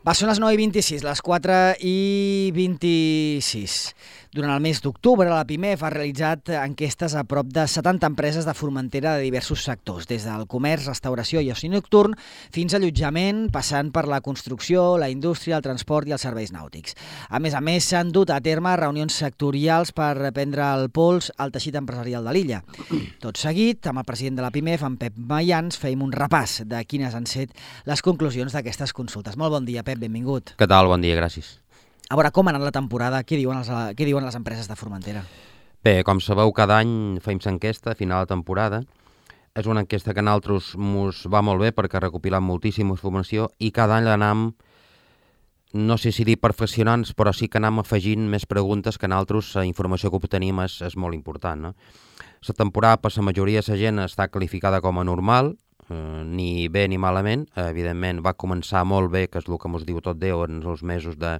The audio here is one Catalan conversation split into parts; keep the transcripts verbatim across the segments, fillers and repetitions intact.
Va, són les nou i vint-i-sis, les quatre i vint-i-sis. Durant el mes d'octubre, la PIMEF ha realitzat enquestes a prop de setanta empreses de Formentera de diversos sectors, des del comerç, restauració i oci nocturn, fins a allotjament, passant per la construcció, la indústria, el transport i els serveis nàutics. A més a més, s'han dut a terme reunions sectorials per prendre el pols al teixit empresarial de l'illa. Tot seguit, amb el president de la PIMEF, en Pep Mayans, feim un repàs de quines han set les conclusions d'aquestes consultes. Molt bon dia, Pep, benvingut. Què tal? Bon dia, gràcies. A veure, com ha anat la temporada? Què diuen, els, què diuen les empreses de Formentera? Bé, com sabeu, cada any fem l'enquesta a final de temporada. És una enquesta que a nosaltres ens va molt bé perquè recopilem moltíssima informació i cada any l'anam, no sé si dir perfeccionant, però sí que anem afegint més preguntes que a nosaltres la informació que obtenim és, és molt important. No? La temporada per la majoria de la gent està qualificada com a normal, eh, ni bé ni malament. Eh, evidentment va començar molt bé, que és el que ens diu tot Déu, en els mesos de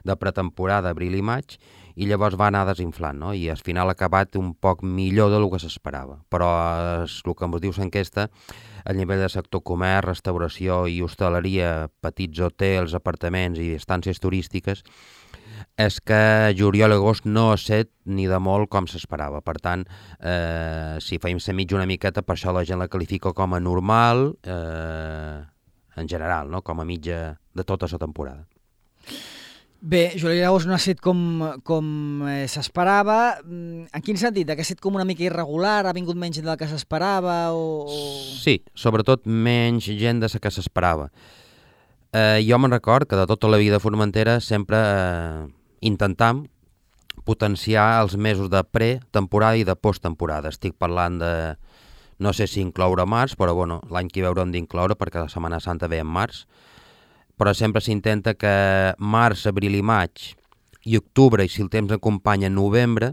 de pretemporada, abril i maig, i llavors va anar desinflant, no? I al final ha acabat un poc millor del que s'esperava. Però és el que ens diu l'enquesta, a nivell de sector comerç, restauració i hostaleria, petits hotels, apartaments i estàncies turístiques, és que juliol i agost no ha set ni de molt com s'esperava. Per tant, eh, si feim la mitja una miqueta, per això la gent la qualifica com a normal, eh, en general, no? Com a mitja de tota la temporada. Bé, juliol i agost no ha set com, com eh, s'esperava. En quin sentit? Que ha set com una mica irregular? Ha vingut menys gent del que s'esperava? O... Sí, sobretot menys gent de la que s'esperava. Eh, jo me'n record que de tota la vida a Formentera sempre eh, intentam potenciar els mesos de pre-temporada i de post-temporada. Estic parlant de, no sé si incloure març, però bueno, l'any que hi haurem d'incloure perquè la Setmana Santa ve en març, però sempre s'intenta que març, abril i maig i octubre, i si el temps acompanya novembre,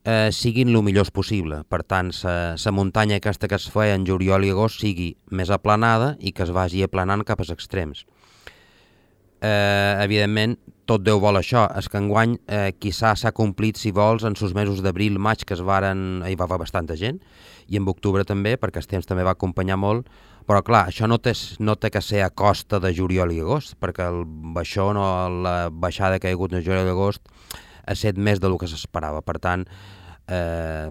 eh, siguin el millors possible. Per tant, la muntanya aquesta que es feia en juliol i agost sigui més aplanada i que es vagi aplanant cap als extrems. Eh, evidentment, tot Déu vol això. És que enguany eh, quizà s'ha complit, si vols, en els mesos d'abril, maig, que es varen, hi va haver bastanta gent, i en octubre també, perquè el temps també va acompanyar molt, però clar, això no té, no té que ser a costa de juliol i agost, perquè el baixó, no, la baixada que hi ha hagut en juliol i agost ha set més del que s'esperava. Per tant, eh,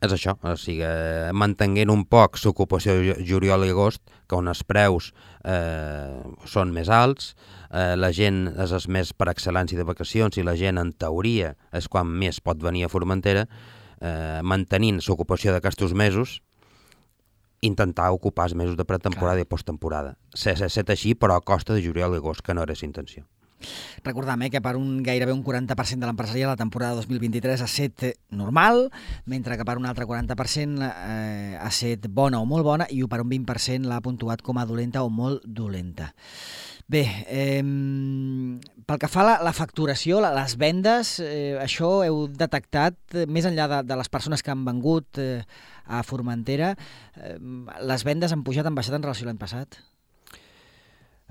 és això, o sigui, mantenint un poc l'ocupació juliol i agost, que on els preus eh, són més alts, eh, la gent és més per excel·lència de vacacions i la gent, en teoria, és quan més pot venir a Formentera, eh, mantenint l'ocupació d'aquests mesos, intentar ocupar els mesos de pretemporada i posttemporada. S'ha set així, però a costa de juliol i agost, que no era la intenció. Recordem eh, que per un gairebé un quaranta per cent de l'empresariat la temporada dos mil vint-i-tres ha set normal, mentre que per un altre quaranta per cent eh, ha set bona o molt bona i per un vint per cent l'ha puntuat com a dolenta o molt dolenta. Bé, eh, pel que fa a la, la facturació, la, les vendes, eh, això heu detectat, eh, més enllà de, de les persones que han vengut eh, a Formentera, eh, les vendes han pujat, han baixat en relació a l'any passat?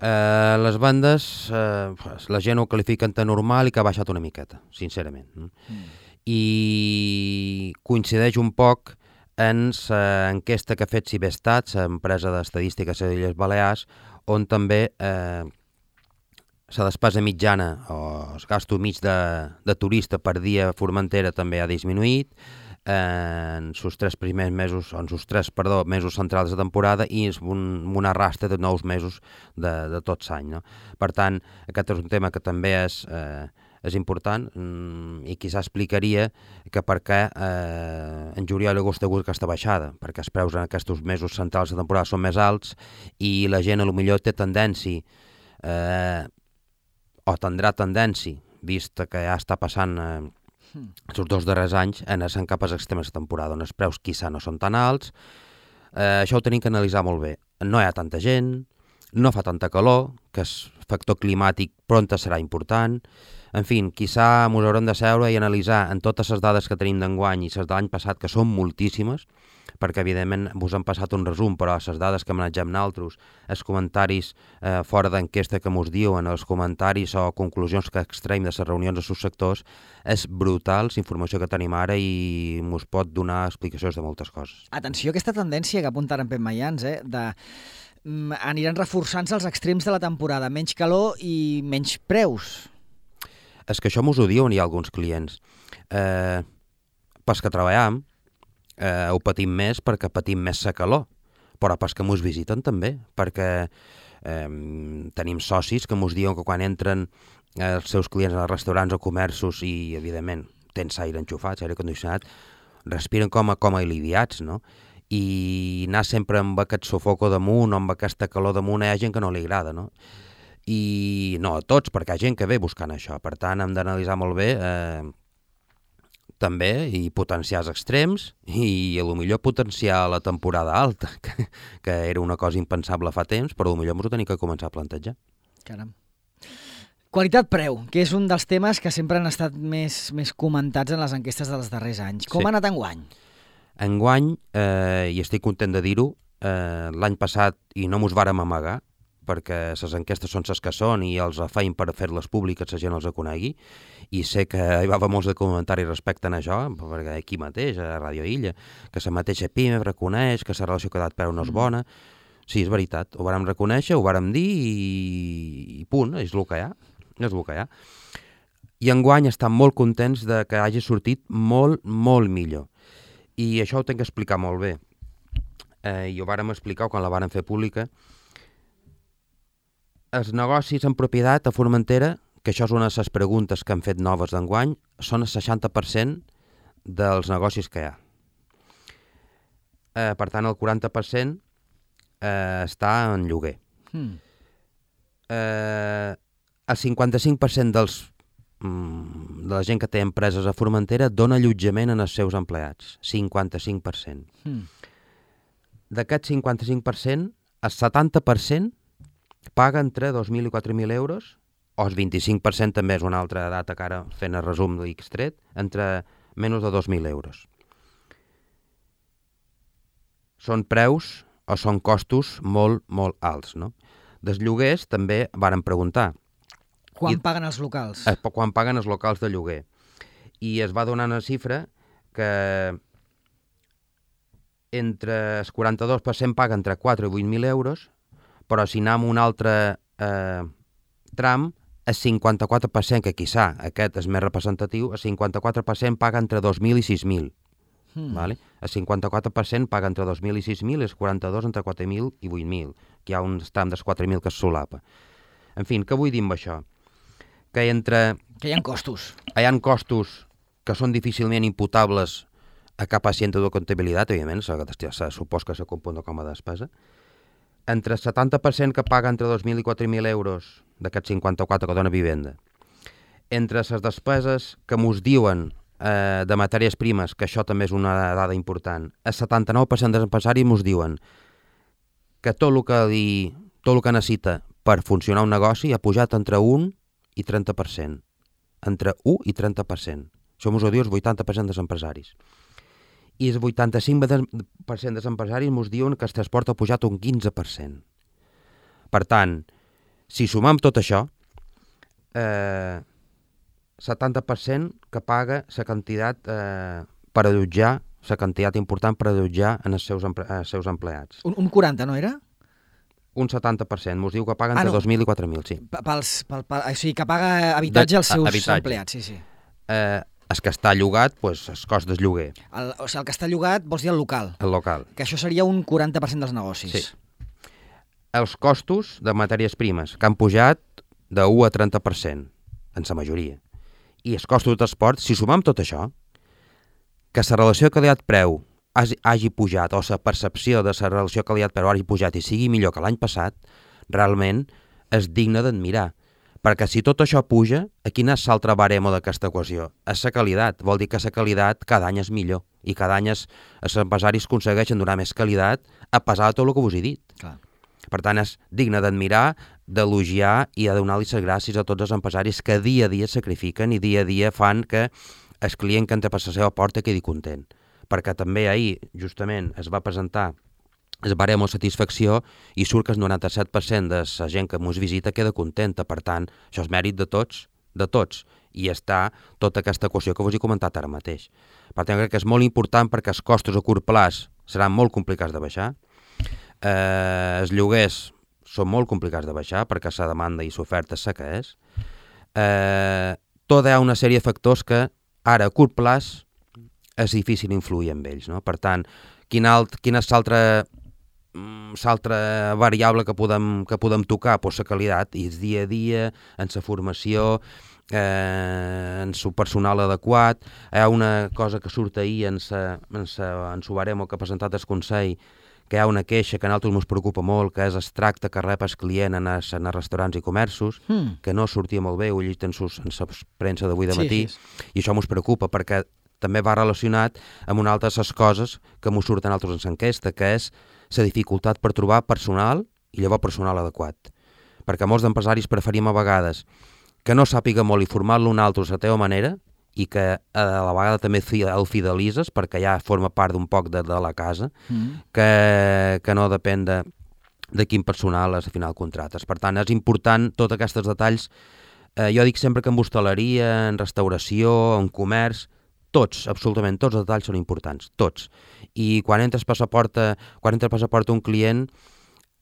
Eh, les vendes, eh, la gent ho qualifiquen de normal i que ha baixat una miqueta, sincerament. Mm. I coincideix un poc en l'enquesta que ha fet Cibestat, l'empresa d'estadística de les Illes Balears, on també eh, la despesa mitjana o el gasto mig de, de turista per dia a Formentera també ha disminuït en els tres primers mesos, en els tres, perdó, mesos centrals de temporada i un, un arrastre de nous mesos de, de tot l'any. No? Per tant, aquest és un tema que també és, eh, és important mm, i quizà explicaria que per què eh, en juliol i agost ha hagut aquesta baixada, perquè els preus en aquests mesos centrals de temporada són més alts i la gent a lo millor té tendència eh, o tindrà tendència, vist que ja està passant eh, els dos darrers anys, en anar cap als extrems de temporada, on els preus quizà no són tan alts. Eh, això ho tenim que analitzar molt bé. No hi ha tanta gent, no fa tanta calor, que el factor climàtic pronta serà important. En fi, quizà ens haurem de seure i analitzar en totes les dades que tenim d'enguany i les de l'any passat, que són moltíssimes, perquè evidentment vos han passat un resum, però les dades que manegem nosaltres, els comentaris eh, fora d'enquesta que mos diuen, els comentaris o conclusions que extraiem de les reunions de subsectors, és brutal la informació que tenim ara i mos pot donar explicacions de moltes coses. Atenció a aquesta tendència que apunta ara en Pep Mayans, eh, de aniran reforçant-se els extrems de la temporada, menys calor i menys preus. És que això mos ho diuen, hi ha alguns clients. Eh, pas que treballem, eh, ho patim més perquè patim més la calor, però pas que mos visiten també, perquè eh, tenim socis que mos diuen que quan entren eh, els seus clients als restaurants o comerços i, evidentment, tens aire enxufat, aire condicionat, respiren com a, com a aliviats, no? I anar sempre amb aquest sofoco damunt o amb aquesta calor damunt hi ha gent que no li agrada, no? I no a tots, perquè hi ha gent que ve buscant això. Per tant, hem d'analitzar molt bé eh, també i potenciar els extrems i a lo millor potenciar la temporada alta, que, que era una cosa impensable fa temps, però a lo millor ens ho tenim que començar a plantejar. Caram. Qualitat-preu, que és un dels temes que sempre han estat més, més comentats en les enquestes dels darrers anys. Com Sí. ha anat enguany? Enguany, eh, i estic content de dir-ho, eh, l'any passat, i no mos vàrem amagar, perquè les enquestes són les que són i els feim per fer-les públiques, la gent els conegui, i sé que hi va haver molts de comentaris respecte a això, perquè aquí mateix, a Ràdio Illa, que la mateixa PIME reconeix que la relació qualitat-preu no és bona. Sí, és veritat, ho vàrem reconèixer, ho vàrem dir i, i punt, és el que hi ha, és el que hi ha. I enguany estan molt contents de que hagi sortit molt, molt millor. I això ho tinc que explicar molt bé. Eh, I ho vàrem explicar quan la vàrem fer pública. Els negocis en propietat a Formentera, que això és una de les preguntes que han fet noves d'enguany, són el seixanta per cent dels negocis que hi ha. Eh, per tant, el quaranta per cent eh, està en lloguer. Hmm. Eh, el cinquanta-cinc per cent dels de la gent que té empreses a Formentera dona allotjament en els seus empleats, cinquanta-cinc per cent. Hmm. D'aquest cinquanta-cinc per cent, el setanta per cent paga entre dos mil i quatre mil euros, o el vint-i-cinc per cent també és una altra data que ara fent el resum de l'Xtret, entre menys de dos mil euros. Són preus o són costos molt, molt alts, no? Dels lloguers també varen preguntar. Quan I, paguen els locals? Eh, quan paguen els locals de lloguer. I es va donar una xifra que entre el quaranta-dos per cent paga entre quatre i vuit mil euros, però si anem a un altre eh, tram, el cinquanta-quatre per cent, que quizà aquest és més representatiu, el cinquanta-quatre per cent paga entre dos mil i sis mil. Hmm. Vale? El cinquanta-quatre per cent paga entre dos mil i sis mil i el quaranta-dos entre quatre mil i vuit mil, que hi ha un tram dels quatre mil que es solapa. En fi, què vull dir amb això? Que entre... Que hi ha costos. Hi ha costos que són difícilment imputables a cap asiento de comptabilitat, evidentment, se supos que se compon com a despesa. Entre el setanta per cent que paga entre dos mil i quatre mil euros d'aquests cinquanta-quatre que dona vivenda. Entre les despeses que mos diuen eh, de matèries primes, que això també és una dada important, el setanta-nou per cent dels empresaris mos diuen que tot el que, li, tot el que necessita per funcionar un negoci ha pujat entre un i trenta per cent. Entre un i trenta per cent. Això mos ho diu el vuitanta per cent dels empresaris. I el vuitanta-cinc per cent dels empresaris mos diuen que el transport ha pujat un quinze per cent. Per tant, si sumam tot això, eh, setanta per cent que paga la quantitat eh, per allotjar, la quantitat important per allotjar en els seus, empre els seus empleats. Un, un quaranta, no era? Un setanta per cent, mos diu que paga entre ah, no. dos mil i quatre mil, sí. Pels, pel, pel, o sigui, que paga habitatge als seus habitatge. empleats, sí, sí. Eh, el que està llogat, doncs, el cost del lloguer. El, o sigui, el que està llogat vols dir el local? El local. Que això seria un quaranta per cent dels negocis. Sí. Els costos de matèries primes, que han pujat de u a trenta per cent, en la majoria. I els costos de transport, si sumam tot això, que la relació qualitat-preu hagi pujat, o la percepció de la relació qualitat-preu hagi pujat i sigui millor que l'any passat, realment és digne d'admirar. Perquè si tot això puja, a quina és l'altre baremo d'aquesta equació? És la qualitat. Vol dir que la qualitat cada any és millor. I cada any es, els empresaris aconsegueixen donar més qualitat a pesar de tot el que vos he dit. Clar. Per tant, és digne d'admirar, d'elogiar i de donar-li les gràcies a tots els empresaris que dia a dia sacrifiquen i dia a dia fan que el client que entra per la seva porta quedi content. Perquè també ahir, justament, es va presentar el baremo de satisfacció i surt que el noranta-set per cent de la gent que ens visita queda contenta. Per tant, això és mèrit de tots, de tots. I està tota aquesta equació que vos he comentat ara mateix. Per tant, crec que és molt important perquè els costos a curt plaç seran molt complicats de baixar. Eh, els lloguers són molt complicats de baixar perquè la demanda i l'oferta és la que és. Eh, tot hi ha una sèrie de factors que ara a curt plaç és difícil influir en ells, no? Per tant, quina, alt, quina és l'altra l'altra variable que podem, que podem tocar? Pues la qualitat, i el dia a dia, en la formació, eh, en el personal adequat. Hi ha una cosa que surt ahir en el baremo que ha presentat el Consell, que hi ha una queixa que a nosaltres ens preocupa molt, que és el tracte que rep el client en els, en els restaurants i comerços, mm. que no sortia molt bé, ho he llegit en, sus, en la premsa d'avui de matí, sí, sí. I això ens preocupa perquè també va relacionat amb una altra de les coses que ens surten altres en l'enquesta, que és la dificultat per trobar personal i llavors personal adequat. Perquè molts empresaris preferim a vegades que no sàpiga molt i formar-lo un altre a la teva manera i que a la vegada també el fidelitzes perquè ja forma part d'un poc de, de la casa, mm. que, que no depèn de, de quin personal al final contractes. Per tant, és important tots aquests detalls. Eh, jo dic sempre que en hostaleria, en restauració, en comerç, tots, absolutament tots els detalls són importants, tots. I quan entres per la porta, quan entres per la porta un client,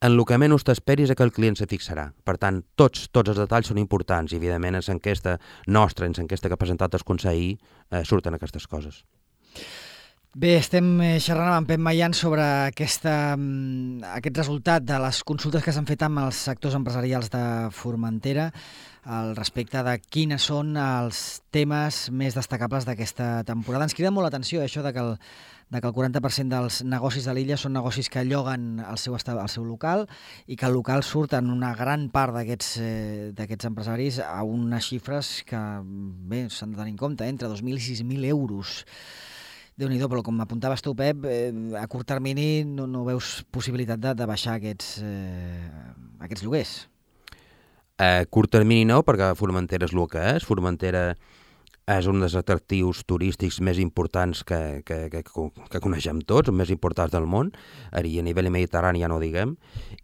en el que menys t'esperis és que el client se fixarà. Per tant, tots, tots els detalls són importants i, evidentment, en l'enquesta nostra, en l'enquesta que ha presentat el Consell, eh, surten aquestes coses. Bé, estem xerrant amb en Pep Mayan sobre aquesta, aquest resultat de les consultes que s'han fet amb els sectors empresarials de Formentera al respecte de quines són els temes més destacables d'aquesta temporada. Ens crida molt l'atenció això de que el, de que el quaranta per cent dels negocis de l'illa són negocis que lloguen el seu, el seu local i que el local surt en una gran part d'aquests eh, d'aquests empresaris a unes xifres que bé s'han de tenir en compte, entre dos mil i sis mil euros. Déu-n'hi-do, però com m'apuntaves tu, Pep, eh, a curt termini no, no veus possibilitat de, de baixar aquests, eh, aquests lloguers. A curt termini no, perquè Formentera és el que és. Formentera és un dels atractius turístics més importants que, que, que, que coneixem tots, els més importants del món, i a nivell mediterrani ja no ho diguem,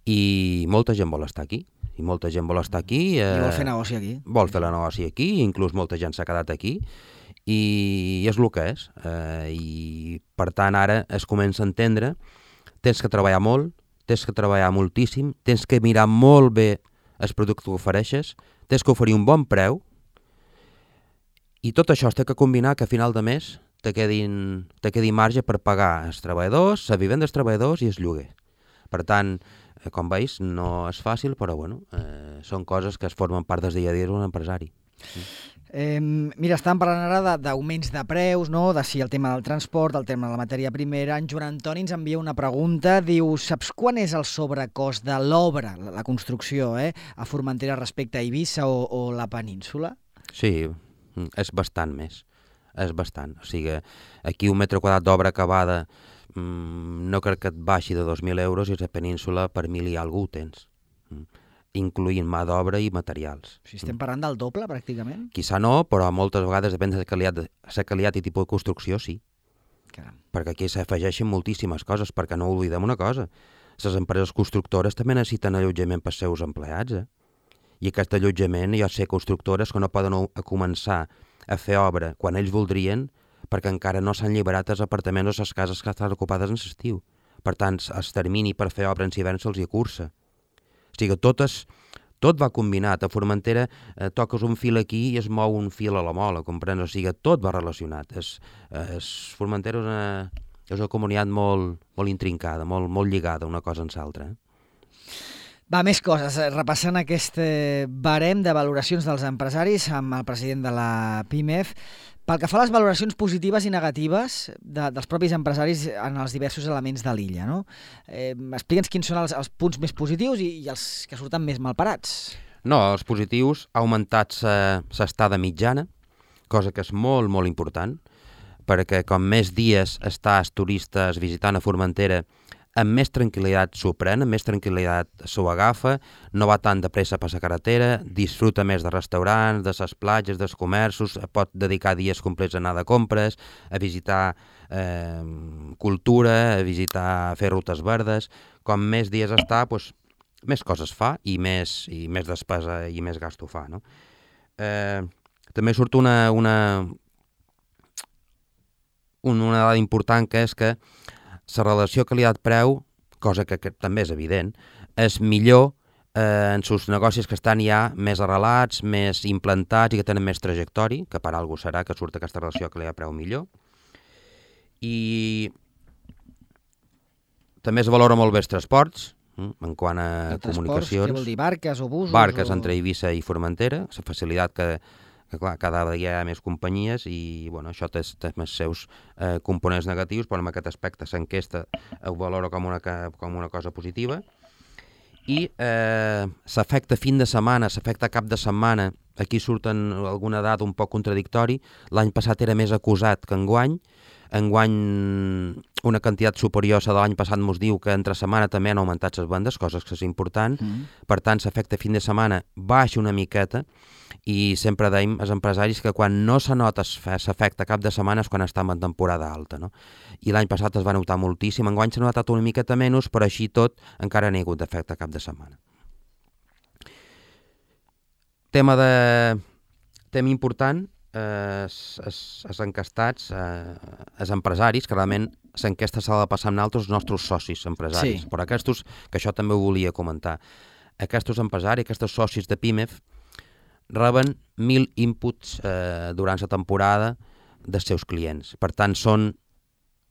i molta gent vol estar aquí. I molta gent vol estar aquí. Eh, I vol fer negoci aquí. Vol fer la negoci aquí, inclús molta gent s'ha quedat aquí, i és el que és. Eh, I, per tant, ara es comença a entendre, tens que treballar molt, tens que treballar moltíssim, tens que mirar molt bé el producte que ofereixes, tens que oferir un bon preu, i tot això es té que combinar que a final de mes te quedin, te quedi marge per pagar els treballadors, la vivenda dels treballadors i el lloguer. Per tant, com veus, no és fàcil, però bueno, eh, són coses que es formen part del dia a dia d'un empresari. Eh, mira, estàvem parlant ara d'augments de, de preus, no? De si el tema del transport, el tema de la matèria primera. En Joan Antoni ens envia una pregunta, diu, saps quan és el sobrecost de l'obra, la, la construcció, eh, a Formentera respecte a Eivissa o, o la península? Sí, és bastant més, és bastant. O sigui, aquí un metre quadrat d'obra acabada mmm, no crec que et baixi de dos mil euros i a la península per mil i algú tens. Mm. Incloent mà d'obra i materials. Si estem parlant del doble, pràcticament? Quizà no, però moltes vegades depèn de la qualitat, la qualitat i tipus de construcció, sí. Caram. Perquè aquí s'afegeixen moltíssimes coses, perquè no oblidem una cosa. Les empreses constructores també necessiten allotjament per als seus empleats, eh? I aquest allotjament hi ha ser constructores que no poden a començar a fer obra quan ells voldrien perquè encara no s'han alliberat els apartaments o les cases que estan ocupades en l'estiu. Per tant, el termini per fer obra en hivern se'ls hi cursa. O sigui, tot, és, tot va combinat. A Formentera eh, toques un fil aquí i es mou un fil a la mola, comprens? O sigui, tot va relacionat. Es, es, Formentera és una, és una comunitat molt, molt intrincada, molt, molt lligada una cosa en l'altra. Eh? Va, més coses. Repassant aquest barem de valoracions dels empresaris amb el president de la PIMEF, pel que fa a les valoracions positives i negatives de, dels propis empresaris en els diversos elements de l'illa, no? Eh, explica'ns quins són els, els punts més positius i, i els que surten més malparats. No, els positius ha augmentat l'estada mitjana, cosa que és molt, molt important, perquè com més dies estàs turistes visitant a Formentera, amb més tranquil·litat s'ho pren, amb més tranquil·litat s'ho agafa, no va tan de pressa per la carretera, disfruta més de restaurants, de les platges, dels comerços, pot dedicar dies complets a anar de compres, a visitar eh, cultura, a visitar, a fer rutes verdes. Com més dies està, doncs, més coses fa i més, i més despesa i més gasto fa. No? Eh, també surt una, una, una dada important, que és que la relació qualitat-preu cosa que, que també és evident, és millor eh, en sus negocis que estan ja més arrelats, més implantats i que tenen més trajectori, que per algú serà que surt aquesta relació que li ha preu millor. I també es valora molt bé els transports, en quant a el comunicacions. Què vol dir, barques o busos? Barques o... entre Eivissa i Formentera, la facilitat que, que clar, cada dia hi ha més companyies i bueno, això té, té els seus eh, components negatius, però en aquest aspecte l'enquesta ho valora com una, com una cosa positiva. I eh, s'afecta fin de setmana, s'afecta cap de setmana, aquí surten alguna dada un poc contradictori, l'any passat era més acusat que enguany, enguany una quantitat superior a de l'any passat ens diu que entre setmana també han augmentat les vendes, coses que és important, mm. per tant s'afecta fin de setmana baixa una miqueta i sempre deim als empresaris que quan no se nota s'afecta cap de setmana és quan estem en temporada alta, no? I l'any passat es va notar moltíssim, enguany s'ha notat una miqueta menys, però així tot encara n'hi ha hagut d'efecte cap de setmana. Tema de... tema important, els encastats, els empresaris, que realment l'enquesta s'ha de passar amb altres nostres socis empresaris, sí. Però aquests, que això també ho volia comentar, aquests empresaris, aquests socis de Pimef, reben mil inputs eh, durant la temporada dels seus clients. Per tant, són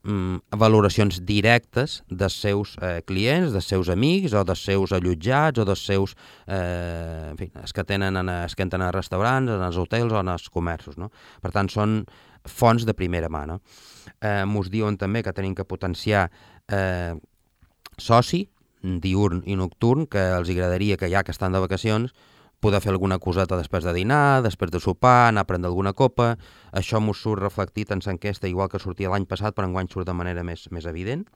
mm, valoracions directes dels seus eh, clients, dels seus amics, o dels seus allotjats, o dels seus... Eh, en fi, els que tenen en, els que entren als restaurants, en els hotels o en els comerços, no? Per tant, són fonts de primera mà, no? Eh, mos diuen també que tenim que potenciar eh, soci, diurn i nocturn, que els agradaria que ja que estan de vacacions poder fer alguna coseta després de dinar, després de sopar, anar a prendre alguna copa. Això m'ho surt reflectit en l'enquesta, igual que sortia l'any passat, però enguany surt de manera més, més evident.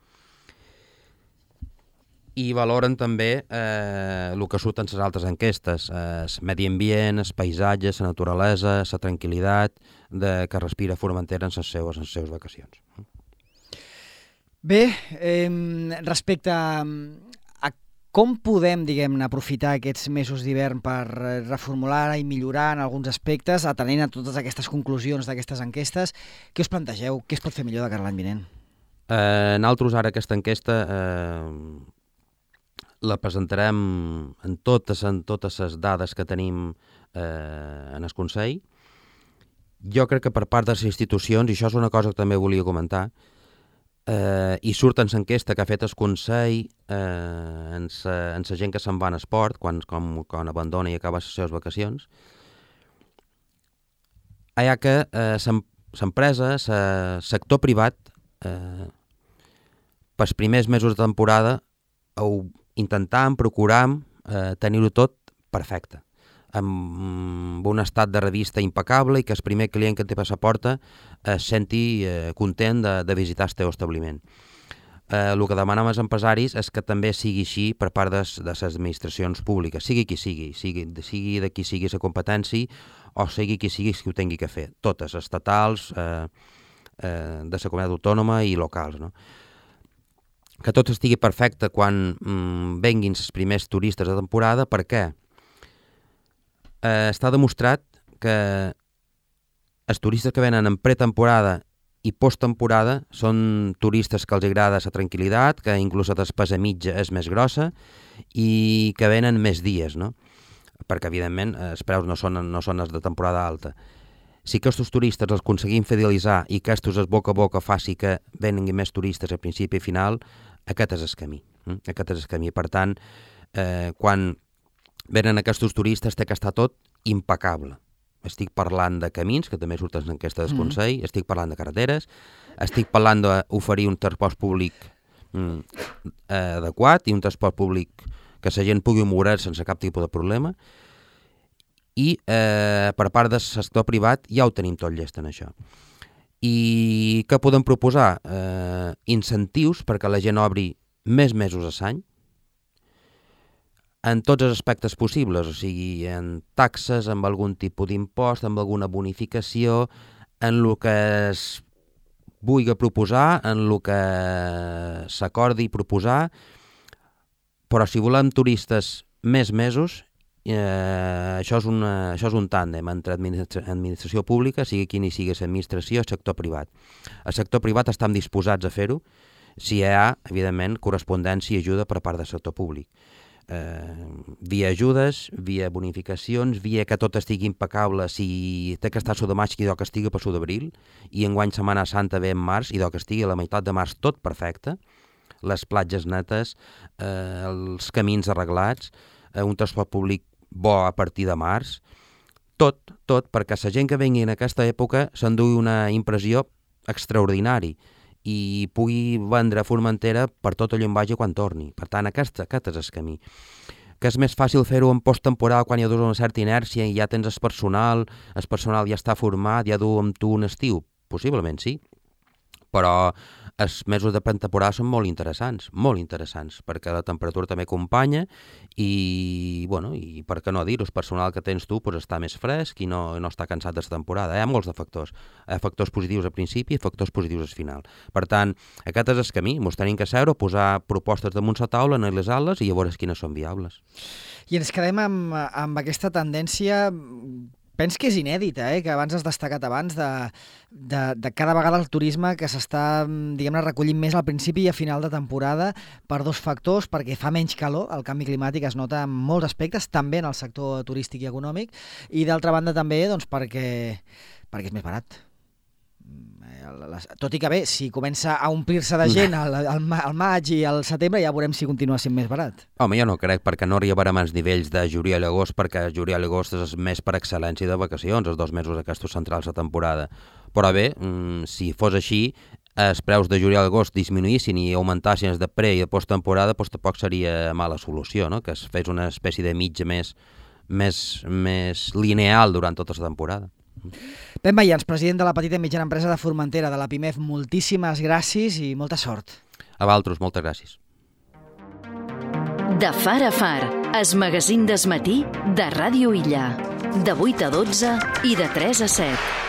I valoren també eh, el que surt en les altres enquestes, eh, el medi ambient, el paisatge, la naturalesa, la tranquil·litat de, que respira Formentera en les seues, en les seues vacacions. Bé, eh, respecte a... Com podem, diguem-ne, aprofitar aquests mesos d'hivern per reformular i millorar en alguns aspectes, atenent a totes aquestes conclusions d'aquestes enquestes? Què us plantegeu? Què es pot fer millor de cara a l'any vinent? Eh, nosaltres ara aquesta enquesta eh, la presentarem en totes, en totes les dades que tenim eh, en el Consell. Jo crec que per part de les institucions, i això és una cosa que també volia comentar, Uh, i surt en l'enquesta que ha fet el Consell uh, en la gent que se'n va en esport, quan, com, quan abandona i acaba les seves vacacions, hi ha que uh, l'empresa, el sector privat, uh, pels primers mesos de temporada, ho intentàvem, procuràvem uh, tenir-ho tot perfecte, amb un estat de revista impecable i que el primer client que té per la porta es senti eh, content de, de visitar el teu establiment. Eh, el que demanem als empresaris és que també sigui així per part de, de les administracions públiques, sigui qui sigui, sigui, sigui de qui sigui la competència o sigui qui sigui qui ho tingui que fer, totes, estatals, eh, eh, de la comunitat autònoma i locals, no? Que tot estigui perfecte quan mm, venguin els primers turistes de temporada. Per què? Eh, està demostrat que els turistes que venen en pretemporada i posttemporada són turistes que els agrada la tranquil·litat, que inclús la despesa mitja és més grossa i que venen més dies, no? Perquè, evidentment, els preus no són, no són els de temporada alta. Si aquests turistes els aconseguim fidelitzar i que aquests es boca a boca faci que venguin més turistes a principi i final, aquest és el camí. Eh? Aquest és el camí. Per tant, eh, quan venen aquests turistes té que estar tot impecable. Estic parlant de camins, que també surten en aquesta del Consell, mm. estic parlant de carreteres, estic parlant d'oferir un transport públic mm, adequat i un transport públic que la gent pugui moure sense cap tipus de problema. I eh, per part del sector privat ja ho tenim tot llest en això. I què podem proposar? Eh, incentius perquè la gent obri més mesos a l'any, en tots els aspectes possibles, o sigui, en taxes, amb algun tipus d'impost, amb alguna bonificació, en el que es vulgui proposar, en el que s'acordi proposar, però si volem turistes més mesos, eh, això, és una, això és un tàndem entre administra- administració pública, sigui quina sigui l'administració, el sector privat. El sector privat estan disposats a fer-ho, si hi ha, evidentment, correspondència i ajuda per part del sector públic. Eh, via ajudes, via bonificacions, via que tot estigui impecable, si té que estar a de maig, idò que estigui per d'abril, i enguany Setmana Santa ve en març, idò que estigui a la meitat de març tot perfecte, les platges netes, eh, els camins arreglats, eh, un transport públic bo a partir de març, tot, tot, perquè la gent que vengui en aquesta època s'endugui una impressió extraordinària i pugui vendre a Formentera per tot allò en vagi quan torni. Per tant, aquest, aquest és el camí. Que és més fàcil fer-ho en posttemporada quan hi ha una certa inèrcia i ja tens el personal, el personal ja està format, ja du amb tu un estiu? Possiblement sí, però els mesos de pretemporada són molt interessants, molt interessants, perquè la temperatura també acompanya i, bueno, i per què no dir-ho, el personal que tens tu pues, està més fresc i no, no està cansat de la temporada. Hi ha molts de factors. Hi ha factors positius al principi i factors positius al final. Per tant, aquest és el camí. Ens tenim que seure, posar propostes damunt la taula, analitzar-les i llavors quines són viables. I ens quedem amb, amb aquesta tendència... Penso que és inèdita, eh? Que abans has destacat abans de, de, de cada vegada el turisme que s'està, diguem-ne, recollint més al principi i a final de temporada per dos factors, perquè fa menys calor, el canvi climàtic es nota en molts aspectes, també en el sector turístic i econòmic, i d'altra banda també doncs, perquè, perquè és més barat. Tot i que bé, si comença a omplir-se de gent al, al, al maig i al setembre, ja veurem si continua sent més barat. Home, jo no crec, perquè no arribarem als nivells de juliol i agost, perquè juliol i agost és més per excel·lència de vacacions, els dos mesos aquests centrals de temporada. Però bé, si fos així, els preus de juliol i agost disminuïssin i augmentassin els de pre i de posttemporada, doncs tampoc seria mala solució, no? Que es fes una espècie de mitja més, més, més lineal durant tota la temporada. Ben Mayans, president de la petita i mitjana empresa de Formentera, de la PIMEF, moltíssimes gràcies i molta sort. A vosaltres, moltes gràcies. De Far a Far, es magazín d'esmatí de Ràdio Illa, de vuit a dotze i de tres a set.